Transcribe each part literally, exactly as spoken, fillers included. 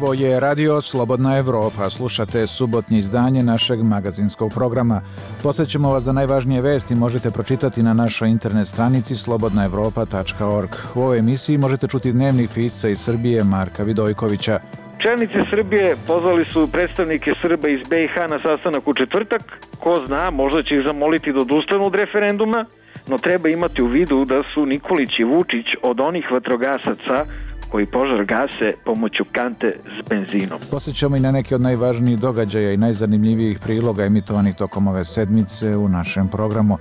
Ovo je Radio Slobodna Evropa. Slušate subotnje izdanje našeg magazinskog programa. Posjećamo vas da najvažnije vesti možete pročitati na našoj internet stranici slobodna evropa tačka org. U ovoj emisiji možete čuti dnevnik pisca iz Srbije Marka Vidojkovića. Čelnici Srbije pozvali su predstavnike Srba iz be i ha na sastanak u četvrtak. Ko zna, možda će ih zamoliti da odustanu od referenduma, no treba imati u vidu da su Nikolić i Vučić od onih vatrogasaca koji požar gase pomoću kante s benzinom. Posjećamo i na neke od najvažnijih događaja i najzanimljivijih priloga emitovanih tokom ove sedmice u našem programu.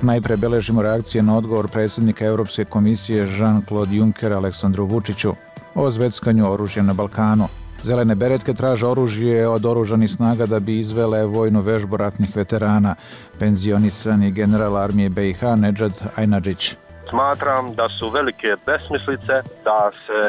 Najpre beležimo reakcije na odgovor predsjednika Europske komisije Jean-Claude Junckera Aleksandru Vučiću o zveckanju oružja na Balkanu. Zelene beretke traže oružje od oružanih snaga da bi izvele vojnu vežbu ratnih veterana. Penzionisani general armije be i ha Nedžad Ajnadžić. Smatram da su velike besmislice da se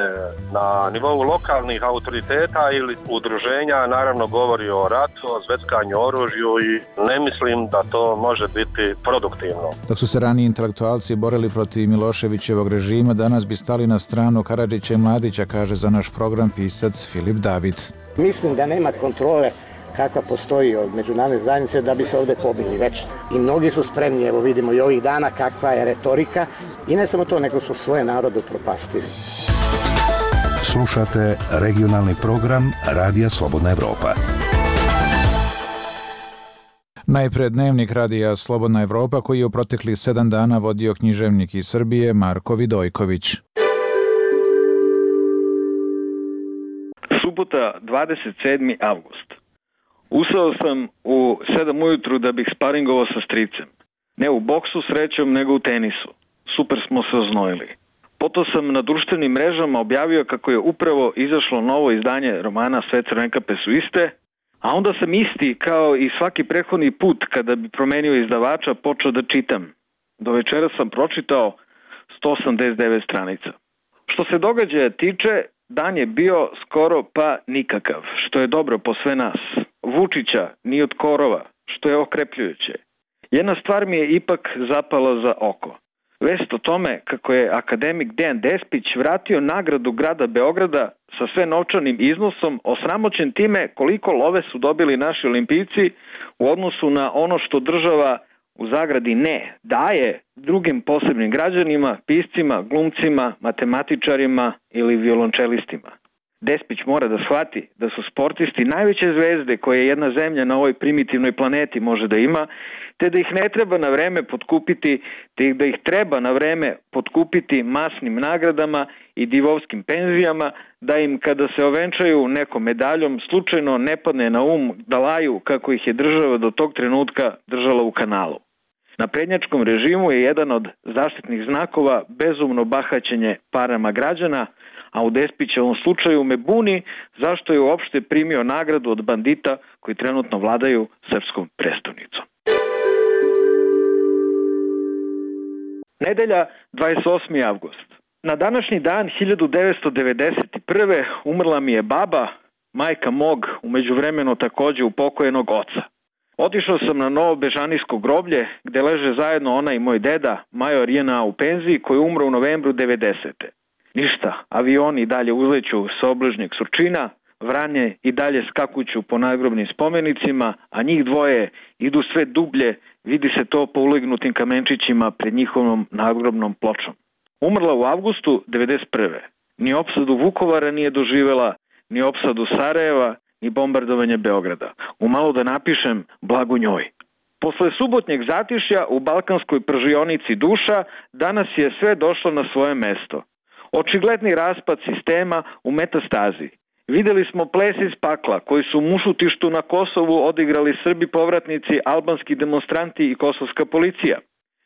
na nivou lokalnih autoriteta ili udruženja naravno govori o ratu, o zveckanju oružju i ne mislim da to može biti produktivno. Dok su se raniji intelektualci borili protiv Miloševićevog režima, danas bi stali na stranu Karadžića i Mladića, kaže za naš program pisac Filip David. Mislim da nema kontrole kakva postoji od međunarodne zajednice da bi se ovdje pobili već. I mnogi su spremni, evo vidimo i ovih dana kakva je retorika i ne samo to, nego su svoje narode upropastili. Slušate regionalni program Radija Slobodna Evropa. Najpred dnevnik Radija Slobodna Evropa koji je u proteklih sedam dana vodio književnik iz Srbije Marko Vidojković. Subota, dvadeset sedmi avgust. Usao sam u sedam ujutru da bih sparingovao sa stricem. Ne u boksu srećom, nego u tenisu. Super smo se oznojili. Potom sam na društvenim mrežama objavio kako je upravo izašlo novo izdanje romana Sve crvenkape su iste, a onda sam isti kao i svaki prethodni put kada bi promenio izdavača počeo da čitam. Do večera sam pročitao sto osamdeset devet stranica. Što se događaja tiče, dan je bio skoro pa nikakav, što je dobro po sve nas. Vučića ni od korova, što je okrepljujuće. Jedna stvar mi je ipak zapala za oko. Vest o tome kako je akademik Dejan Despić vratio nagradu grada Beograda sa sve novčanim iznosom, osramoćen time koliko love su dobili naši olimpijci u odnosu na ono što država u zagradi ne daje drugim posebnim građanima, piscima, glumcima, matematičarima ili violončelistima. Despić mora da shvati da su sportisti najveće zvezde koje jedna zemlja na ovoj primitivnoj planeti može da ima, te da ih ne treba na vreme potkupiti, te da ih treba na vreme potkupiti masnim nagradama i divovskim penzijama, da im kada se ovenčaju nekom medaljom slučajno ne padne na um da laju kako ih je država do tog trenutka držala u kanalu. Na prednjačkom režimu je jedan od zaštitnih znakova bezumno bahaćenje parama građana, a u Despićevom slučaju me buni zašto je uopšte primio nagradu od bandita koji trenutno vladaju srpskom prestolnicom. Nedelja, dvadeset osmi avgust. Na današnji dan hiljadu devetsto devedeset prve umrla mi je baba, majka mog, u međuvremenu takođe upokojenog oca. Otišao sam na Novo Bežanijsko groblje, gde leže zajedno ona i moj deda, major J N A u penziji, koji je umro u novembru devedesete. Ništa, avioni i dalje uzleću sa obližnjeg Surčina, vranje i dalje skakuću po nadgrobnim spomenicima, a njih dvoje idu sve dublje, vidi se to po ulegnutim kamenčićima pred njihovom nadgrobnom pločom. Umrla u avgustu devedeset prve. Ni opsadu Vukovara nije doživela, ni opsadu Sarajeva, ni bombardovanje Beograda. Umalo da napišem blago njoj. Posle subotnjeg zatišja u balkanskoj pržionici duša, danas je sve došlo na svoje mesto. Očigledni raspad sistema u metastazi. Videli smo ples iz pakla koji su u Mušutištu na Kosovu odigrali Srbi povratnici, albanski demonstranti i kosovska policija.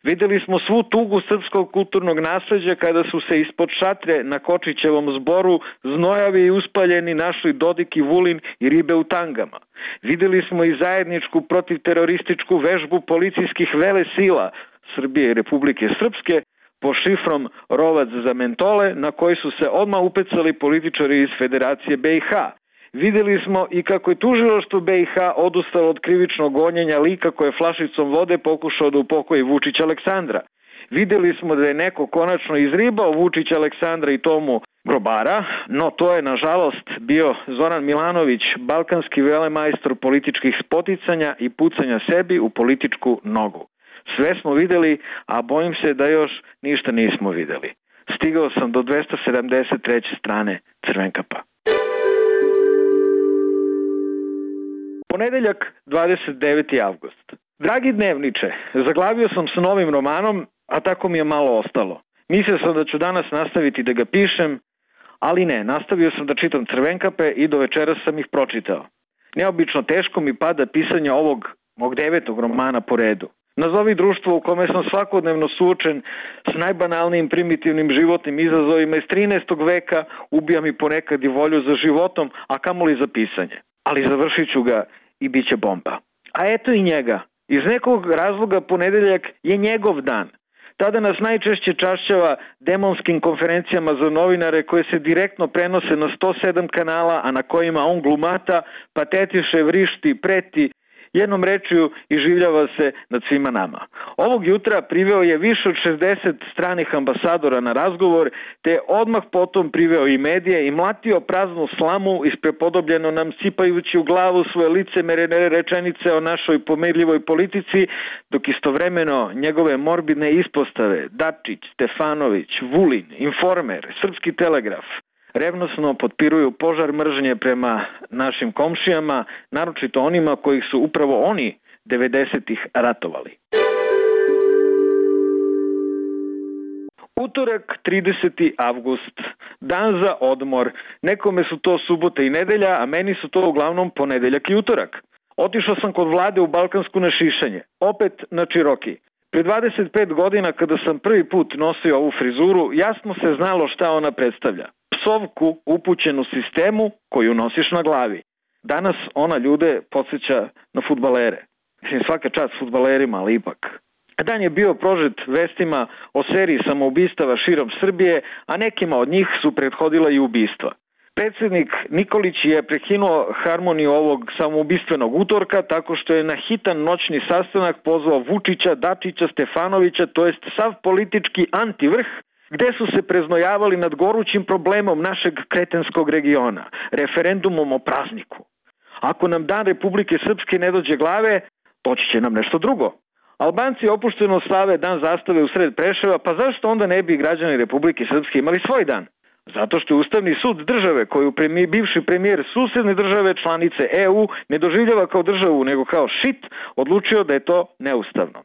Videli smo svu tugu srpskog kulturnog nasleđa kada su se ispod šatre na Kočićevom zboru znojavi i uspaljeni našli Dodik i Vulin i ribe u tangama. Videli smo i zajedničku protivterorističku vežbu policijskih velesila Srbije i Republike Srpske po šifrom Rovac za mentole, na koji su se odmah upecali političari iz Federacije be i ha. Videli smo i kako je tužilaštvo be i ha odustalo od krivičnog gonjenja lika koje flašicom vode pokušao da upokoji Vučić Aleksandra. Videli smo da je neko konačno izribao Vučić Aleksandra i tomu grobara, no to je nažalost bio Zoran Milanović, balkanski velemajstor političkih spoticanja i pucanja sebi u političku nogu. Sve smo videli, a bojim se da još ništa nismo videli. Stigao sam do dvesta sedamdeset treće strane Crvenkapa. Ponedeljak, dvadeset deveti avgust. Dragi dnevniče, zaglavio sam sa novim romanom, a tako mi je malo ostalo. Mislio sam da ću danas nastaviti da ga pišem, ali ne, nastavio sam da čitam Crvenkape i do večeras sam ih pročitao. Neobično teško mi pada pisanje ovog mog devetog romana po redu. Nazovi društvo u kome sam svakodnevno suočen s najbanalnijim primitivnim životnim izazovima iz trinaestog veka, ubija mi ponekad i volju za životom, a kamoli za pisanje. Ali završit ću ga i bit će bomba. A eto i njega. Iz nekog razloga ponedeljak je njegov dan. Tada nas najčešće čašćava demonskim konferencijama za novinare koje se direktno prenose na sto sedam kanala, a na kojima on glumata, patetiše, vrišti, preti, jednom rečju iživljava se nad svima nama. Ovog jutra priveo je više od šezdeset stranih ambasadora na razgovor, te odmah potom priveo i medije i mlatio praznu slamu isprepodobljeno nam sipajući u glavu svoje licemerne rečenice o našoj pomirljivoj politici, dok istovremeno njegove morbidne ispostave Dačić, Stefanović, Vulin, Informer, Srpski telegraf revnosno potpiruju požar mržnje prema našim komšijama, naročito onima kojih su upravo oni devedesetih ratovali. Utorak, trideseti avgust, dan za odmor. Nekome su to subota i nedelja, a meni su to uglavnom ponedeljak i utorak. Otišao sam kod Vlade u Balkansku na šišanje, opet na Čiroki. Pre dvadeset pet godina kada sam prvi put nosio ovu frizuru, jasno se znalo šta ona predstavlja. Psovku upućenu sistemu koju nosiš na glavi. Danas ona ljude podsjeća na fudbalere. Mislim, svaka čast fudbalerima, ali ipak. Dan je bio prožet vestima o seriji samoubistava širom Srbije, a nekima od njih su prethodila i ubistva. Predsjednik Nikolić je prekinuo harmoniju ovog samoubistvenog utorka tako što je na hitan noćni sastanak pozvao Vučića, Dačića, Stefanovića, to jest sav politički antivrh, gde su se preznojavali nad gorućim problemom našeg kretenskog regiona, referendumom o prazniku. Ako nam dan Republike Srpske ne dođe glave, doći će nam nešto drugo. Albanci opušteno slave dan zastave u sred Preševa, pa zašto onda ne bi građani Republike Srpske imali svoj dan? Zato što je Ustavni sud države koju premije, bivši premijer susedne države članice E U ne doživljava kao državu nego kao šit, odlučio da je to neustavno.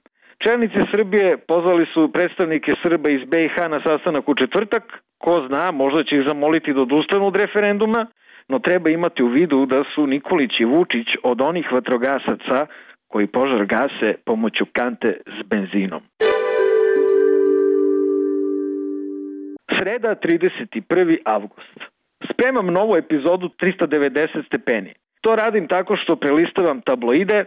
Čelnici Srbije pozvali su predstavnike Srba iz B i H na sastanak u četvrtak. Ko zna, možda će ih zamoliti da odustanu od referenduma, no treba imati u vidu da su Nikolić i Vučić od onih vatrogasaca koji požar gase pomoću kante s benzinom. Sreda, trideseti prvi avgust. Spremam novu epizodu trista devedeset stepeni. To radim tako što prelistavam tabloide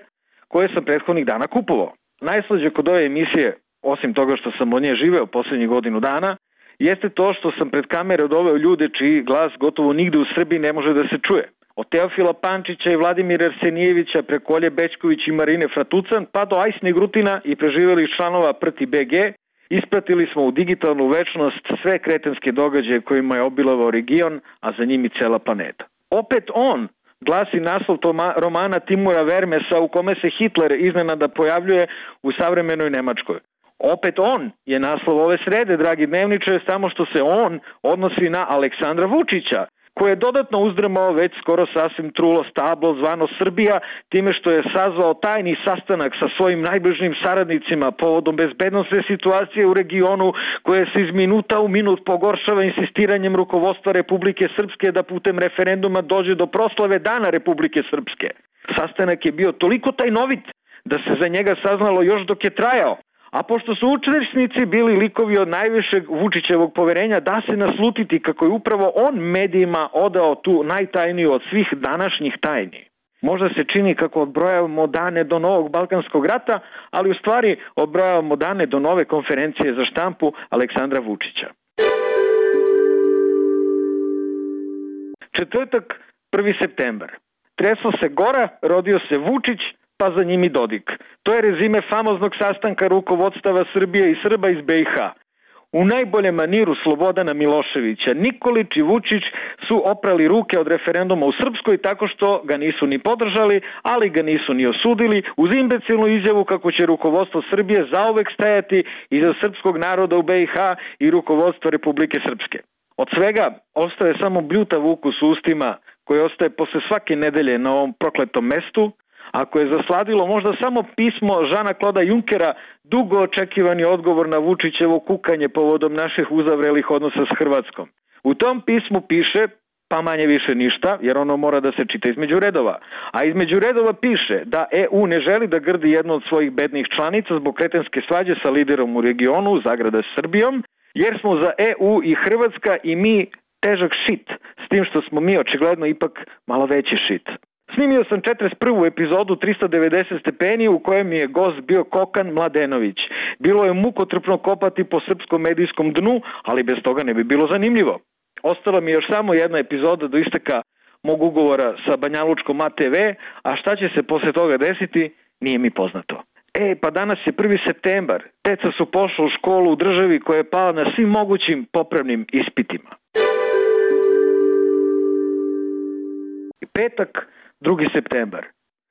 koje sam prethodnih dana kupovao. Najslađe kod ove emisije, osim toga što sam od nje živeo posljednjih godinu dana, jeste to što sam pred kamere doveo ljude čiji glas gotovo nigde u Srbiji ne može da se čuje. Od Teofila Pančića i Vladimira Arsenijevića preko Olje Bećković i Marine Fratucan, pa do Ajsne Grutina i preživelih članova Prti B G, ispratili smo u digitalnu večnost sve kretenske događaje kojima je obilovao region, a za njim i cela planeta. Opet on glasi naslov toma, romana Timura Vermesa u kome se Hitler iznenada pojavljuje u savremenoj Nemačkoj. Opet on je naslov ove srede, dragi dnevniče, samo što se on odnosi na Aleksandra Vučića, koji je dodatno uzdrmao već skoro sasvim trulo stablo zvano Srbija time što je sazvao tajni sastanak sa svojim najbližim saradnicima povodom bezbednosne situacije u regionu koje se iz minuta u minut pogoršava insistiranjem rukovodstva Republike Srpske da putem referenduma dođe do proslave Dana Republike Srpske. Sastanak je bio toliko tajnovit da se za njega saznalo još dok je trajao. A pošto su učesnici bili likovi od najvišeg Vučićevog poverenja, da se naslutiti kako je upravo on medijima odao tu najtajniju od svih današnjih tajni. Možda se čini kako odbrojavamo dane do novog Balkanskog rata, ali u stvari odbrojavamo dane do nove konferencije za štampu Aleksandra Vučića. Četvrtak, prvi septembar. Tresla se gora, rodio se Vučić, pa za njim i Dodik. To je rezime famoznog sastanka rukovodstava Srbije i Srba iz B i H. u najboljem maniru Slobodana Miloševića. Nikolić i Vučić su oprali ruke od referenduma u Srpskoj tako što ga nisu ni podržali, ali ga nisu ni osudili, uz imbecilnu izjavu kako će rukovodstvo Srbije zauvek stajati iza srpskog naroda u B i H i rukovodstvo Republike Srpske. Od svega ostaje samo bljutav ukus u ustima koji ostaje posle svake nedelje na ovom prokletom mestu, ako je zasladilo možda samo pismo Žana Kloda Junkera, dugo očekivani odgovor na Vučićevo kukanje povodom naših uzavrelih odnosa s Hrvatskom. U tom pismu piše, pa manje više ništa, jer ono mora da se čita između redova. A između redova piše da E U ne želi da grdi jednu od svojih bednih članica zbog kretenske svađe sa liderom u regionu, zagrada Srbijom, jer smo za E U i Hrvatska i mi težak šit, s tim što smo mi očigledno ipak malo veći šit. Snimio sam četrdeset prvu epizodu trista devedeset stepeni u kojem je gost bio Kokan Mladenović. Bilo je mukotrpno kopati po srpskom medijskom dnu, ali bez toga ne bi bilo zanimljivo. Ostala mi je još samo jedna epizoda do isteka mog ugovora sa Banjalučkom A T V, a šta će se posle toga desiti, nije mi poznato. E, pa danas je prvi septembar. Deca su pošla u školu u državi koja je pala na svim mogućim popravnim ispitima. Petak, drugi septembar.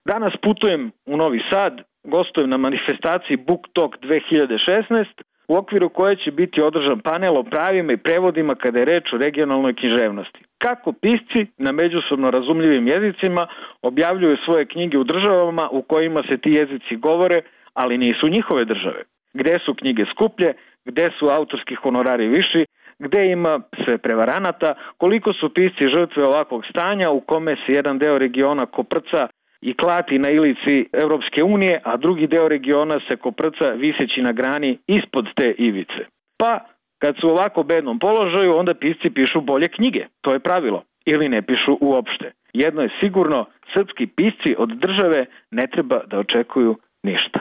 Danas putujem u Novi Sad, gostujem na manifestaciji Book Talk dve hiljade šesnaest, u okviru koje će biti održan panel o pravima i prevodima kada je reč o regionalnoj književnosti. Kako pisci na međusobno razumljivim jezicima objavljuju svoje knjige u državama u kojima se ti jezici govore, ali nisu njihove države. Gde su knjige skuplje, gde su autorski honorari viši, gde ima sve prevaranata, koliko su pisci žrtve ovakvog stanja u kome se jedan deo regiona koprca i klati na ilici Evropske unije, a drugi deo regiona se koprca viseći na grani ispod te ivice. Pa, kad su u ovako bednom položaju, onda pisci pišu bolje knjige, to je pravilo, ili ne pišu uopšte. Jedno je sigurno, srpski pisci od države ne treba da očekuju ništa.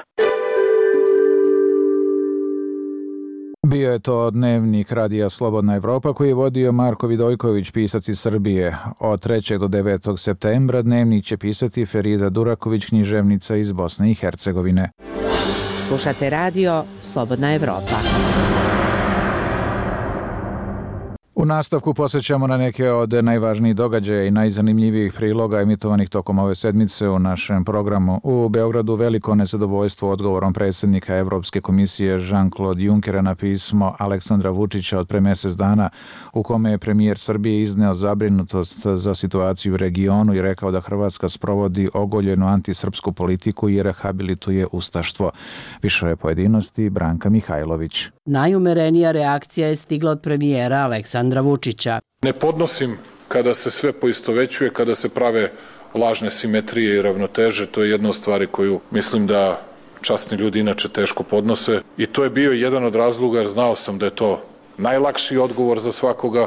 Bio je to dnevnik Radija Slobodna Evropa koji je vodio Marko Vidojković, pisac iz Srbije. Od trećeg do devetog septembra dnevnik će pisati Ferida Duraković, književnica iz Bosne i Hercegovine. Slušate radio Slobodna Evropa. U nastavku posjećamo na neke od najvažnijih događaja i najzanimljivijih priloga emitovanih tokom ove sedmice u našem programu. U Beogradu veliko nezadovoljstvo odgovorom predsjednika Evropske komisije Jean-Claude Junckera na pismo Aleksandra Vučića od pre mjesec dana, u kome je premijer Srbije izneo zabrinutost za situaciju u regionu i rekao da Hrvatska sprovodi ogoljenu antisrpsku politiku i rehabilituje ustaštvo. Više je pojedinosti Branka Mihajlović. Najumerenija reakcija je stigla od premijera Aleksandra Vučića. Ne podnosim kada se sve poistovećuje, kada se prave lažne simetrije i ravnoteže. To je jedna od stvari koju mislim da časni ljudi inače teško podnose. I to je bio jedan od razloga, jer znao sam da je to najlakši odgovor za svakoga,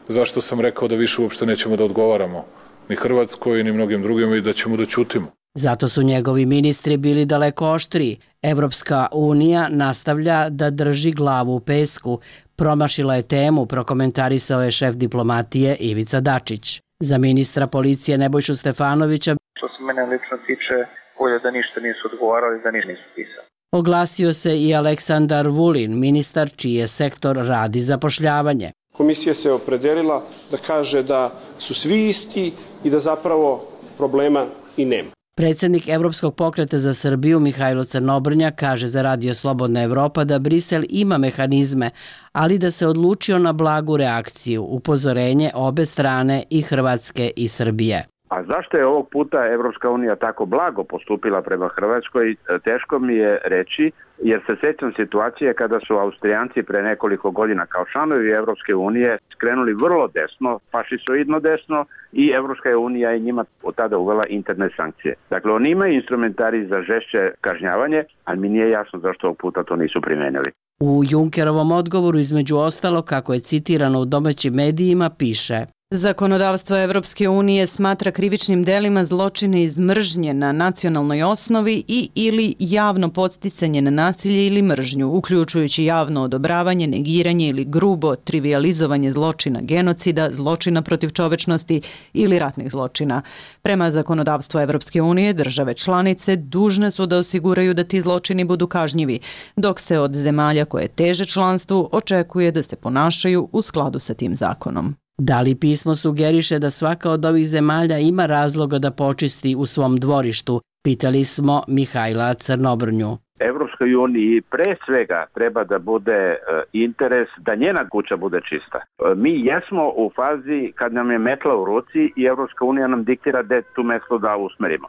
zašto sam rekao da više uopšte nećemo da odgovaramo ni Hrvatskoj ni mnogim drugim i da ćemo da ćutimo. Zato su njegovi ministri bili daleko oštriji. Evropska unija nastavlja da drži glavu u pesku. Promašila je temu, prokomentarisao je šef diplomatije Ivica Dačić. Za ministra policije Nebojšu Stefanovića, što se mene lično tiče, bolje da ništa nisu odgovarali, da ništa nisu pisali. Oglasio se i Aleksandar Vulin, ministar čiji je sektor rad i zapošljavanje. Komisija se opredelila da kaže da su svi isti i da zapravo problema i nema. Predsjednik Evropskog pokreta za Srbiju Mihajlo Crnobrnja kaže za Radio Slobodna Evropa da Brisel ima mehanizme, ali da se odlučio na blagu reakciju, upozorenje obe strane i Hrvatske i Srbije. A zašto je ovog puta Evropska unija tako blago postupila prema Hrvatskoj, teško mi je reći, jer se sjećam situacije kada su Austrijanci pre nekoliko godina kao članovi Evropske unije skrenuli vrlo desno, fašisoidno desno, i Evropska unija je njima od tada uvela interne sankcije. Dakle, oni imaju instrumentari za žešće kažnjavanje, ali mi nije jasno zašto ovog puta to nisu primenili. U Junckerovom odgovoru, između ostalo, kako je citirano u domaćim medijima, piše: Zakonodavstvo Evropske unije smatra krivičnim delima zločine iz mržnje na nacionalnoj osnovi i ili javno podsticanje na nasilje ili mržnju, uključujući javno odobravanje, negiranje ili grubo trivijalizovanje zločina genocida, zločina protiv čovečnosti ili ratnih zločina. Prema zakonodavstvu Evropske unije, države članice dužne su da osiguraju da ti zločini budu kažnjivi, dok se od zemalja koje teže članstvu očekuje da se ponašaju u skladu sa tim zakonom. Da li pismo sugeriše da svaka od ovih zemalja ima razloga da počisti u svom dvorištu? Pitali smo Mihajla Crnobrnju. Evropskoj uniji pre svega treba da bude interes da njena kuća bude čista. Mi jesmo u fazi kad nam je metla u ruci i Evropska unija nam diktira da tu metlu da usmerimo.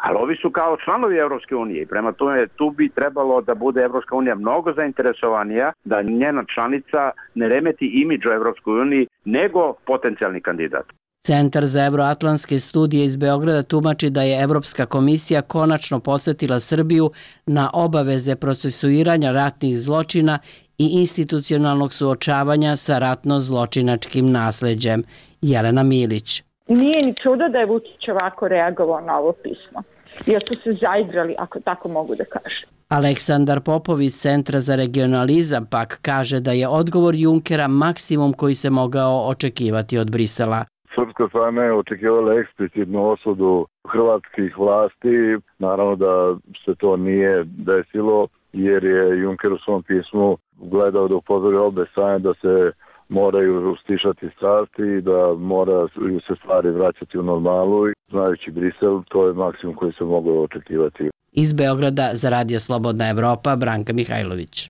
Ali ovi su kao članovi Evropske unije i prema tome tu bi trebalo da bude Evropska unija mnogo zainteresovanija da njena članica ne remeti imidž u Evropskoj uniji nego potencijalni kandidat. Centar za evroatlantske studije iz Beograda tumači da je Evropska komisija konačno podsjetila Srbiju na obaveze procesuiranja ratnih zločina i institucionalnog suočavanja sa ratno-zločinačkim nasleđem. Jelena Milić. Nije ni čudo da je Vučić ovako reagovao na ovo pismo, jer su se zaigrali, ako tako mogu da kažem. Aleksandar Popov iz Centra za regionalizam pak kaže da je odgovor Junckera maksimum koji se mogao očekivati od Brisela. Srpska strana je očekivala eksplicitnu osudu hrvatskih vlasti. Naravno da se to nije desilo, jer je Juncker u svom pismu gledao da upozori obe strane da se moraju stišati strasti i da moraju se stvari vraćati u normalu. Znajući Brisel, to je maksimum koji se moglo očekivati. Iz Beograda za Radio Slobodna Evropa, Branka Mihajlović.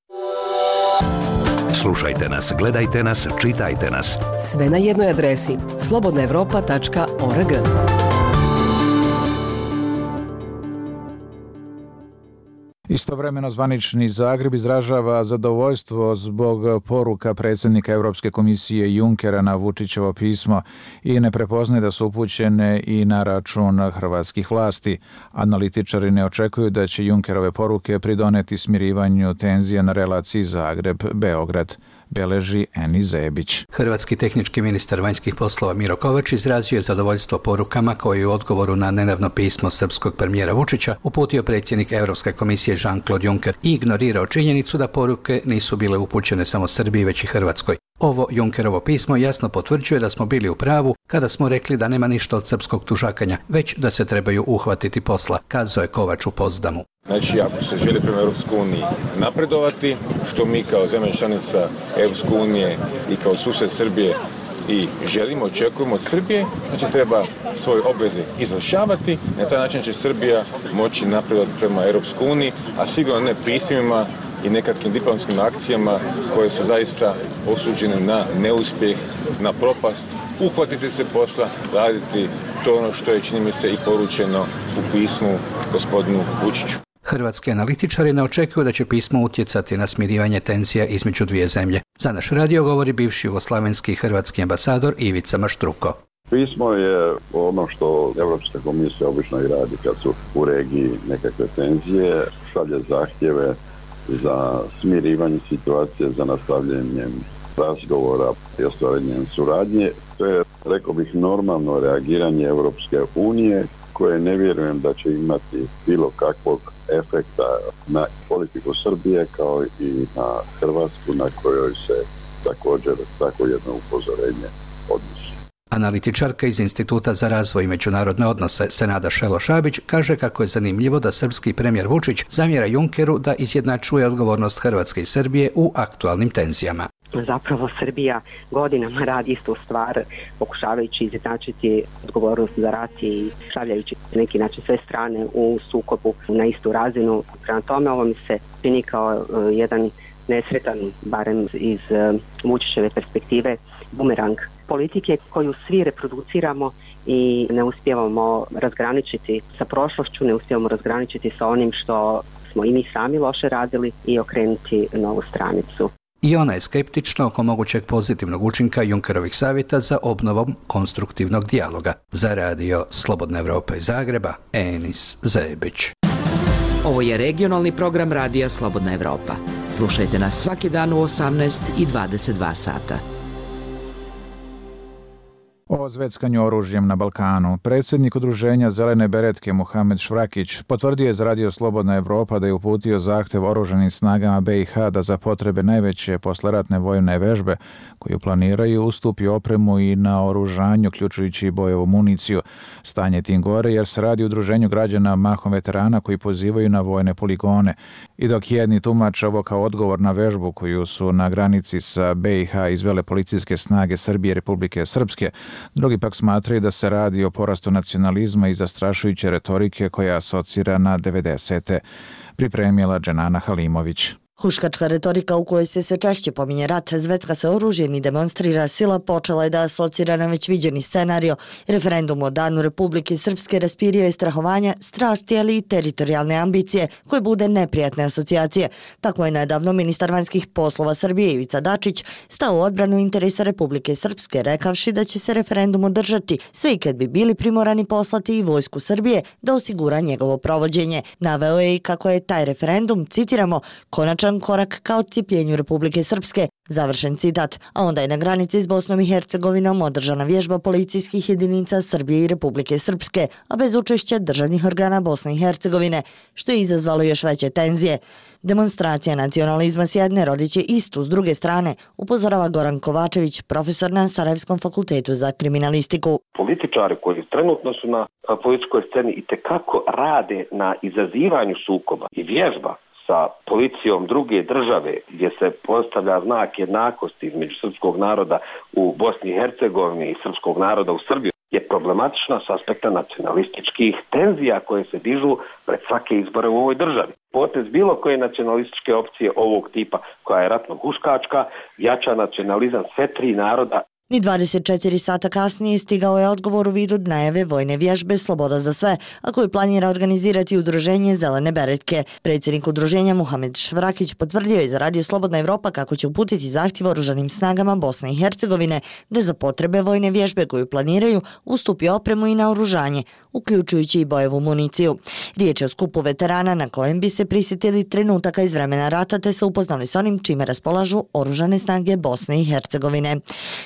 Slušajte nas, gledajte nas, čitajte nas. Sve na jednoj adresi slobodna evropa tačka org. Istovremeno zvanični Zagreb izražava zadovoljstvo zbog poruka predsjednika Europske komisije Junckera na Vučićevo pismo i ne prepoznaje da su upućene i na račun hrvatskih vlasti. Analitičari ne očekuju da će Junckerove poruke pridoneti smirivanju tenzija na relaciji Zagreb-Beograd. Beleži Eni Zebić. Hrvatski tehnički ministar vanjskih poslova Miro Kovač izrazio je zadovoljstvo porukama koje je u odgovoru na nedavno pismo srpskog premijera Vučića uputio predsjednik Europske komisije Jean-Claude Juncker i ignorirao činjenicu da poruke nisu bile upućene samo Srbiji već i Hrvatskoj. Ovo Junckerovo pismo jasno potvrđuje da smo bili u pravu kada smo rekli da nema ništa od srpskog tužakanja, već da se trebaju uhvatiti posla, kazao je Kovač u Potsdamu. Znači, ako se želi prema Europskoj uniji napredovati, što mi kao zemlja članica Europske unije i kao susjed Srbije i želimo, očekujemo od Srbije, znači treba svoje obveze izvršavati, na taj način će Srbija moći napredovati prema Europskoj uniji, a sigurno ne pismima i nekakvim diplomatskim akcijama koje su zaista osuđene na neuspjeh, na propast, uhvatiti se posla, raditi to ono što je, čini mi se, i poručeno u pismu gospodinu Vučiću. Hrvatski analitičari ne očekuju da će pismo utjecati na smirivanje tenzija između dvije zemlje. Za naš radio govori bivši jugoslavenski i hrvatski ambasador Ivica Maštruko. Pismo je ono što Evropska komisija obično i radi kad su u regiji nekakve tenzije, šalje zahtjeve za smirivanje situacije, za nastavljanjem razgovora i ostvarenjem suradnje. To je, rekao bih, normalno reagiranje Evropske unije, koje ne vjerujem da će imati bilo kakvog efekta na politiku Srbije kao i na Hrvatsku, na kojoj se također tako jedno upozorenje odnosi. Analitičarka iz Instituta za razvoj i međunarodne odnose Senada Šelo-Šabić kaže kako je zanimljivo da srpski premijer Vučić zamjera Junckeru da izjednačuje odgovornost Hrvatske i Srbije u aktualnim tenzijama. Zapravo Srbija godinama radi istu stvar, pokušavajući izjednačiti odgovornost za rat i stavljajući na neki način sve strane u sukobu na istu razinu. Prema tome ovo mi se čini kao uh, jedan nesretan, barem iz uh, Vučićeve perspektive, bumerang politike koju svi reproduciramo i ne uspijevamo razgraničiti sa prošlošću, ne uspijevamo razgraničiti sa onim što smo i mi sami loše radili i okrenuti novu stranicu. I ona je skeptična oko mogućeg pozitivnog učinka Junckerovih savjeta za obnovom konstruktivnog dijaloga. Za radio Slobodna Evropa iz Zagreba, Enis Zebić. Ovo je regionalni program radija Slobodna Evropa. Slušajte nas svaki dan u osamnaest i dvadeset dva sata. O zveckanju oružjem na Balkanu. Predsjednik udruženja Zelene beretke Muhamed Švrakić potvrdio je za Radio Slobodna Evropa da je uputio zahtev oružanim snagama B i H da za potrebe najveće posleratne vojne vežbe koju planiraju ustupi opremu i na oružanju, uključujući i bojevu municiju. Stanje tim gore jer se radi o udruženju građana mahom veterana koji pozivaju na vojne poligone. I dok jedni tumače ovo kao odgovor na vežbu koju su na granici sa B i H izvele policijske snage Srbije i Republike Srpske, drugi pak smatraju da se radi o porastu nacionalizma i zastrašujuće retorike koja asocira na devedesete. Pripremila Dženana Halimović. Huškačka retorika u kojoj se sve češće pominje rat, zvecka se oružjem i demonstrira sila počela je da asocira na već viđeni scenario. Referendum o Danu Republike Srpske raspirio je strahovanja, strasti, ali i teritorijalne ambicije, koje bude neprijatne asocijacije. Tako je nedavno ministar vanjskih poslova Srbije Ivica Dačić stao u odbranu interesa Republike Srpske, rekavši da će se referendum održati, sve i kad bi bili primorani poslati i vojsku Srbije da osigura njegovo provođenje. Naveo je i kako je taj referendum, citiramo, konačan korak ka odcijepljenju Republike Srpske, završen citat, a onda je na granici s Bosnom i Hercegovinom održana vježba policijskih jedinica Srbije i Republike Srpske, a bez učešća državnih organa Bosne i Hercegovine, što je izazvalo još veće tenzije. Demonstracija nacionalizma s jedne rodiće istu s druge strane, upozorava Goran Kovačević, profesor na Sarajevskom fakultetu za kriminalistiku. Političari koji trenutno su na političkoj sceni i tekako rade na izazivanju sukoba i vježba sa policijom druge države gdje se postavlja znak jednakosti između srpskog naroda u Bosni i Hercegovini i srpskog naroda u Srbiji je problematična s aspekta nacionalističkih tenzija koje se dižu pred svake izbore u ovoj državi. Potez bilo koje nacionalističke opcije ovog tipa koja je ratno huškačka jača nacionalizam sve tri naroda. Ni dvadeset četiri sata kasnije stigao je odgovor u vidu najave vojne vježbe Sloboda za sve, a koju planira organizirati udruženje Zelene beretke. Predsjednik udruženja Muhamed Švrakić potvrdio je za Radio Slobodna Evropa kako će uputiti zahtjev oružanim snagama Bosne i Hercegovine da za potrebe vojne vježbe koju planiraju ustupi opremu i naoružanje, uključujući i bojevu municiju. Riječ je o skupu veterana na kojem bi se prisjetili trenutaka iz vremena rata te se upoznali s onim čime raspolažu oružane snage Bosne i Hercegovine.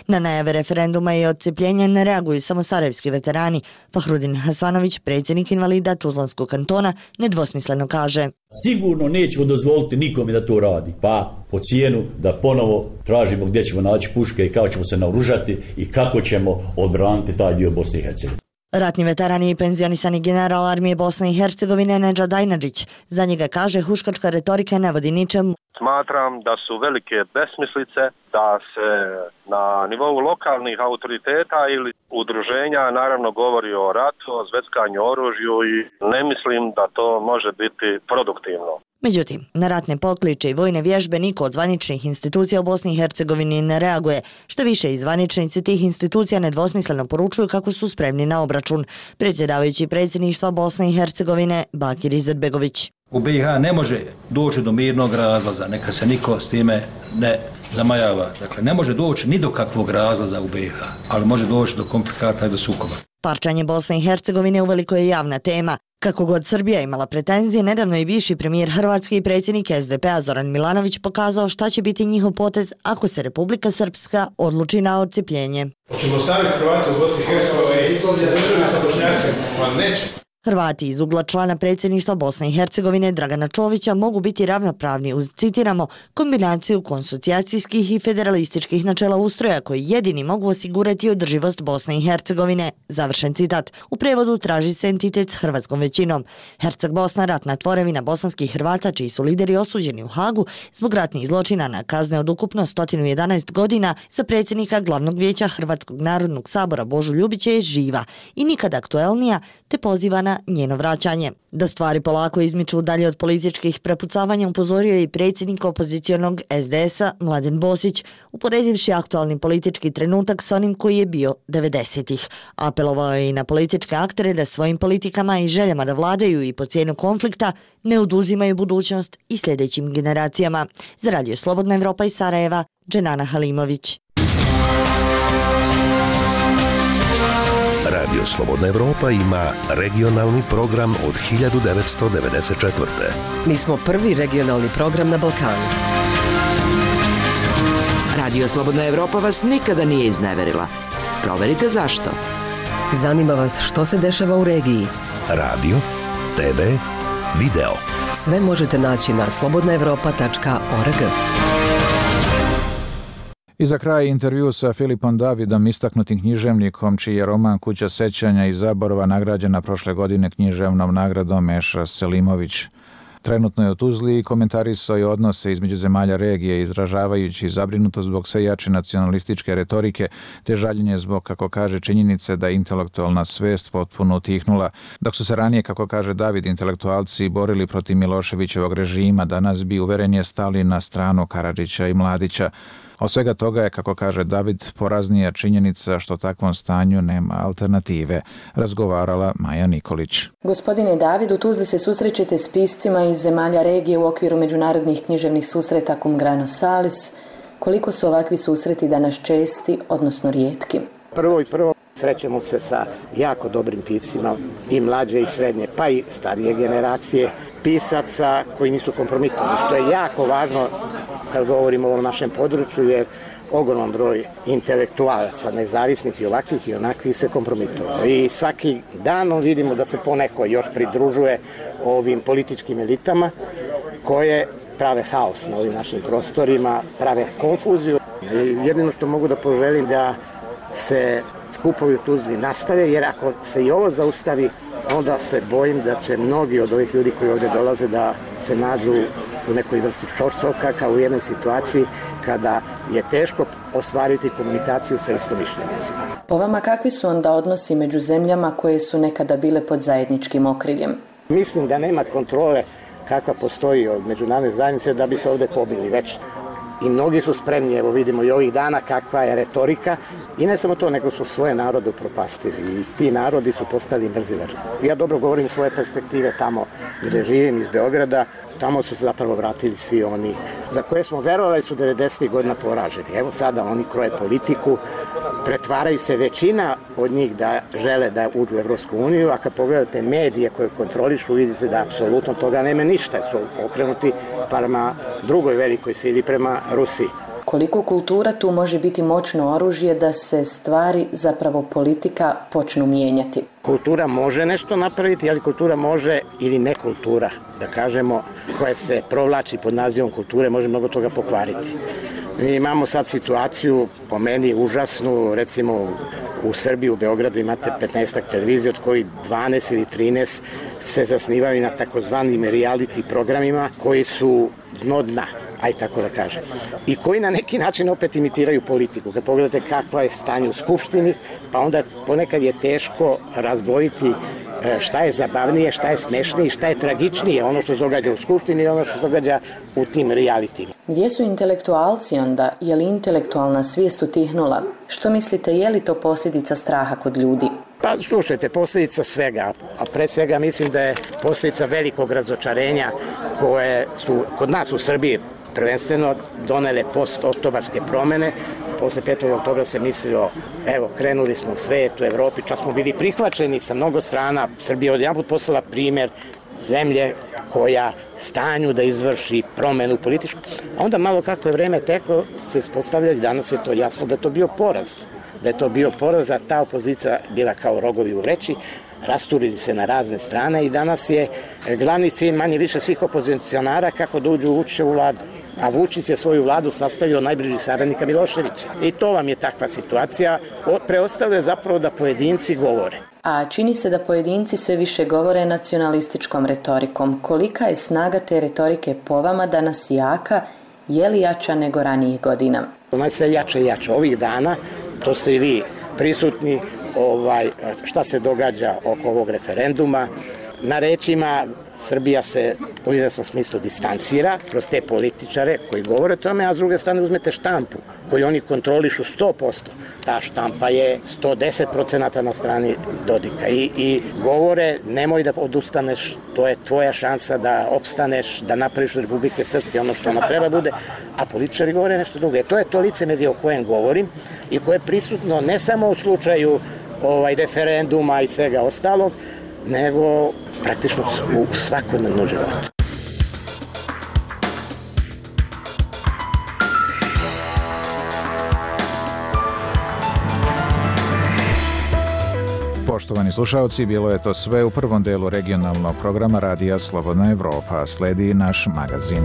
Na najave referenduma i odcepljenja ne reaguju samo sarajevski veterani. Fahrudin Hasanović, predsjednik invalida Tuzlanskog kantona, nedvosmisleno kaže: Sigurno nećemo dozvoliti nikome da to radi, pa po cijenu da ponovo tražimo gdje ćemo naći puške i kako ćemo se naoružati i kako ćemo odbraniti taj dio Bosne i Hercegovine. Ratni veteran i penzionisani general armije Bosne i Hercegovine Nedžad Ajnadžić. Za njega kaže huškačka retorika ne vodi ničemu. Smatram da su velike besmislice da se na nivou lokalnih autoriteta ili udruženja naravno govori o ratu, o zveckanju oružju i ne mislim da to može biti produktivno. Međutim, na ratne pokliče i vojne vježbe niko od zvaničnih institucija u Bosni i Hercegovini ne reaguje. Što više, i zvaničnici tih institucija nedvosmisleno poručuju kako su spremni na obračun. Predsjedavajući predsjedništva Bosne i Hercegovine Bakir Izetbegović. U B i H ne može doći do mirnog razlaza, neka se niko s time ne zamajava. Dakle, ne može doći ni do kakvog razlaza u B i H, ali može doći do komplikata i do sukoba. Parčanje Bosne i Hercegovine uveliko je javna tema. Kako god Srbija imala pretenzije, nedavno je bivši premijer Hrvatske i predsjednik S D P a Zoran Milanović pokazao šta će biti njihov potez ako se Republika Srpska odluči na odcepljenje. Hoćemo staviti Hrvate u Bosni i Hercegovini državi sa Bošnjacima? Pa neće. Hrvati iz ugla člana predsjedništva Bosne i Hercegovine Dragana Čovića mogu biti ravnopravni uz, citiramo, kombinaciju konsocijacijskih i federalističkih načela ustroja koji jedini mogu osigurati održivost Bosne i Hercegovine. Završen citat. U prevodu traži se entitet s hrvatskom većinom. Herceg Bosna, ratna tvorevina bosanskih Hrvata čiji su lideri osuđeni u Hagu zbog ratnih zločina na kazne od ukupno sto jedanaest godina, sa predsjednika glavnog vijeća Hrvatskog narodnog sabora Božu Ljubića je živa i nikad aktuelnija, te poziva na njeno vraćanje. Da stvari polako izmiču dalje od političkih prepucavanja upozorio je i predsjednik opozicionog S D S a Mladen Bosić, uporedivši aktualni politički trenutak s onim koji je bio devedesetih. Apelovao je i na političke aktere da svojim politikama i željama da vladaju i po cijenu konflikta ne oduzimaju budućnost i sljedećim generacijama. Za Radio Slobodna Evropa iz Sarajeva, Dženana Halimović. Radio Slobodna Evropa ima regionalni program od hiljadu devetsto devedeset četvrte. Mi smo prvi regionalni program na Balkanu. Radio Slobodna Evropa vas nikada nije izneverila. Proverite zašto. Zanima vas što se dešava u regiji? Radio, te ve, video. Sve možete naći na slobodna evropa tačka org. I za kraj intervju sa Filipom Davidom, istaknutim književnikom, čiji je roman Kuća sećanja i zaborava nagrađena prošle godine književnom nagradom Meša Selimović. Trenutno je u Tuzli i komentarisao je odnose između zemalja regije, izražavajući zabrinutost zbog sve jače nacionalističke retorike te žaljenje zbog, kako kaže, činjenice da je intelektualna svest potpuno utihnula. Dok su se ranije, kako kaže David, intelektualci borili protiv Miloševićevog režima, danas bi uverenje stali na stranu Karadžića i Mladića. Od svega toga je, kako kaže David, poraznija činjenica što takvom stanju nema alternative, razgovarala Maja Nikolić. Gospodine David, u Tuzli se susrećete s piscima iz zemalja regije u okviru međunarodnih književnih susreta Cum Grano Salis. Koliko su ovakvi susreti danas česti, odnosno rijetki? Prvo i prvo srećemo se sa jako dobrim piscima i mlađe i srednje, pa i starije generacije pisaca koji nisu kompromitovani, što je jako važno kad govorimo o ovom našem području, jer ogroman broj intelektualaca, nezavisnih i ovakvih i onakvih se kompromitovao. I svaki dan vidimo da se poneko još pridružuje ovim političkim elitama koje prave haos na ovim našim prostorima, prave konfuziju. I jedino što mogu da poželim da se skupovi u Tuzli nastave, jer ako se i ovo zaustavi, onda se bojim da će mnogi od ovih ljudi koji ovdje dolaze da se nađu u nekoj vrsti čorsoka, kao u jednoj situaciji kada je teško ostvariti komunikaciju sa istomišljenicima. Po vama, kakvi su onda odnosi među zemljama koje su nekada bile pod zajedničkim okriljem? Mislim da nema kontrole kakva postoji od međunarodne zajednice da bi se ovdje pobili već. I mnogi su spremni, evo vidimo i ovih dana kakva je retorika. I ne samo to, nego su svoje narode upropastili. I ti narodi su postali mrzilački. Ja dobro govorim svoje perspektive tamo gdje živim, iz Beograda. Tamo su se zapravo vratili svi oni za koje smo verovali su devedesetih godina poraženi. Evo sada oni kroje politiku, pretvaraju se većina od njih da žele da uđu u Evropsku uniju, a kad pogledate medije koje kontrolišu, vidite da apsolutno toga nema ništa, su okrenuti prema drugoj velikoj sili, prema Rusiji. Koliko kultura tu može biti moćno oružje da se stvari, zapravo politika, počnu mijenjati? Kultura može nešto napraviti, ali kultura može ili ne kultura, da kažemo, koja se provlači pod nazivom kulture, može mnogo toga pokvariti. Mi imamo sad situaciju, po meni užasnu, recimo u Srbiji, u Beogradu imate petnaestak televizije, od kojih dvanaest ili trinaest se zasnivaju na takozvanim reality programima koji su dno dna, aj tako da kažem, i koji na neki način opet imitiraju politiku. Kad pogledate kakva je stanje u Skupštini, pa onda ponekad je teško razdvojiti šta je zabavnije, šta je smešnije, šta je tragičnije, ono što se događa u Skupštini i ono što se događa u tim realitima. Gdje su intelektualci onda? Je li intelektualna svijest utihnula? Što mislite, je li to posljedica straha kod ljudi? Pa slušajte, posljedica svega, a pre svega mislim da je posljedica velikog razočarenja koje su kod nas u Srbiji prvenstveno donele post-oktobarske promene. Posle petog oktobra se mislilo, evo, krenuli smo u svijetu, u Evropi, čak smo bili prihvaćeni sa mnogo strana. Srbija odjedanput postala primjer zemlje koja stanju da izvrši promenu političku. A onda malo kako je vreme teklo, se ispostavlja i danas je to jasno da je to bio poraz. Da je to bio poraz, a ta opozicija bila kao rogovi u vreći, rasturili se na razne strane i danas je glavni cilj manje više svih opozicionara kako da uđu u Vučićevu vladu. A Vučić je svoju vladu sastavio najbližih saradnika Miloševića. I to vam je takva situacija. Preostalo je zapravo da pojedinci govore. A čini se da pojedinci sve više govore nacionalističkom retorikom. Kolika je snaga te retorike po vama danas jaka? Je li jača nego ranijih godina? Ona je sve jače i jače. Ovih dana, to ste i vi prisutni, ovaj, šta se događa oko ovog referenduma. Na rečima Srbija se u izvesnom smislu distancira kroz te političare koji govore o tome, a s druge strane uzmete štampu koju oni kontrolišu sto posto. Ta štampa je sto deset procenata na strani Dodika i, i govore nemoj da odustaneš, to je tvoja šansa da opstaneš, da napraviš od Republike Srpske ono što ona treba bude, a političari govore nešto drugo. E, to je to licemerje o kojem govorim i koje je prisutno ne samo u slučaju ovaj, referenduma i svega ostalog, nego praktično u svakodnevnom životu. Poštovani slušalci, bilo je to sve u prvom delu regionalnog programa Radija Slobodna Evropa. Sledi naš magazin.